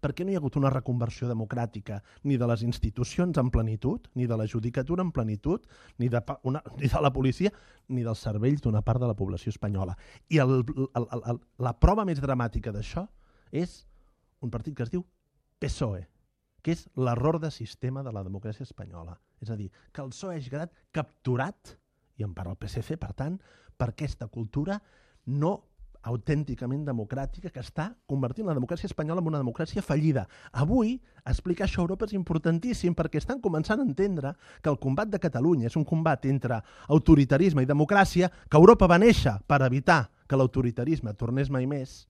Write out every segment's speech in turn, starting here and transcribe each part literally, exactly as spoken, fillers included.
per què no hi ha hagut una reconversió democràtica ni de les institucions en plenitud, ni de la judicatura en plenitud, ni de, una, ni de la policia, ni dels cervells d'una part de la població espanyola. I el, el, el, el, la prova més dramàtica d'això és un partit que es diu P S O E, que és l'error de sistema de la democràcia espanyola. És a dir, que el P S O E hagi quedat capturat, i en part el P S C, per tant, per aquesta cultura no autènticament democràtica que està convertint la democràcia espanyola en una democràcia fallida. Avui, explicar això a Europa és importantíssim perquè estan començant a entendre que el combat de Catalunya és un combat entre autoritarisme i democràcia, que Europa va néixer per evitar que l'autoritarisme tornés mai més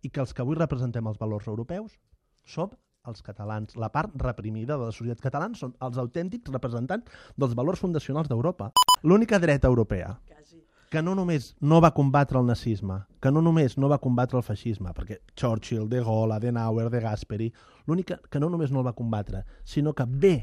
i que els que avui representem els valors europeus som els catalans. La part reprimida de la societat catalana són els autèntics representants dels valors fundacionals d'Europa. L'única dreta europea que no només no va combatre el nazisme, que no només no va combatre el feixisme, perquè Churchill, De Gaulle, Adenauer, De Gasperi, l'única que no només no el va combatre, sinó que ve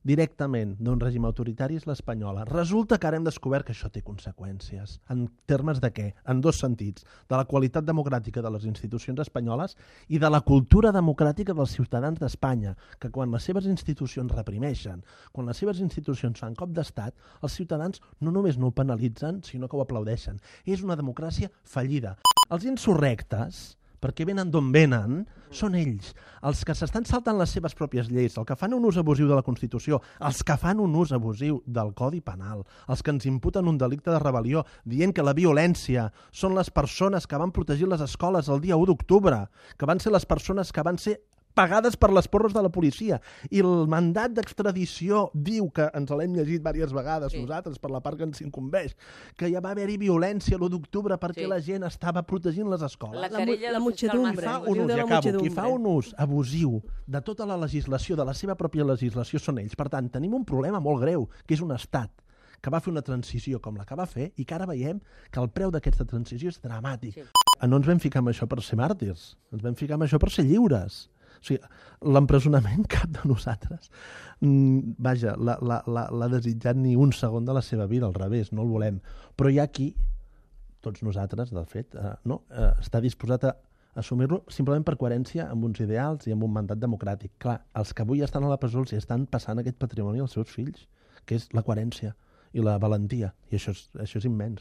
directament d'un règim autoritari és l'espanyola. Resulta que ara hem descobert que això té conseqüències. En termes de què? En dos sentits. De la qualitat democràtica de les institucions espanyoles i de la cultura democràtica dels ciutadans d'Espanya, que quan les seves institucions reprimeixen, quan les seves institucions fan cop d'estat, els ciutadans no només no ho penalitzen, sinó que ho aplaudeixen. És una democràcia fallida. Els insurrectes, perquè venen d'on venen, són ells, els que s'estan saltant les seves pròpies lleis, els que fan un ús abusiu de la Constitució, els que fan un ús abusiu del Codi Penal, els que ens imputen un delicte de rebel·lió, dient que la violència són les persones que van protegir les escoles el dia u d'octubre, que van ser les persones que van ser pagades per les porres de la policia. I el mandat d'extradició diu, que ens l'hem llegit diverses vegades sí. nosaltres, per la part que ens incumbeix, que ja va haver-hi violència l'u d'octubre perquè sí. la gent estava protegint les escoles. La, la, la, la muchedumbre. Un ús, ja acabo, qui fa un ús abusiu de tota la legislació, de la seva pròpia legislació, són ells. Per tant, tenim un problema molt greu, que és un estat que va fer una transició com la que va fer i que ara veiem que el preu d'aquesta transició és dramàtic. Sí. No ens vam ficar amb això per ser màrtirs, ens vam ficar amb això per ser lliures. O sigui, l'empresonament cap de nosaltres, mm, vaja, l'ha desitjat ni un segon de la seva vida, al revés, no el volem. Però hi ha qui, tots nosaltres, de fet, eh, no, eh, està disposat a assumir-lo simplement per coherència amb uns ideals i amb un mandat democràtic. Clar, els que avui estan a la presó els estan passant aquest patrimoni als seus fills, que és la coherència i la valentia, i això és, això és immens.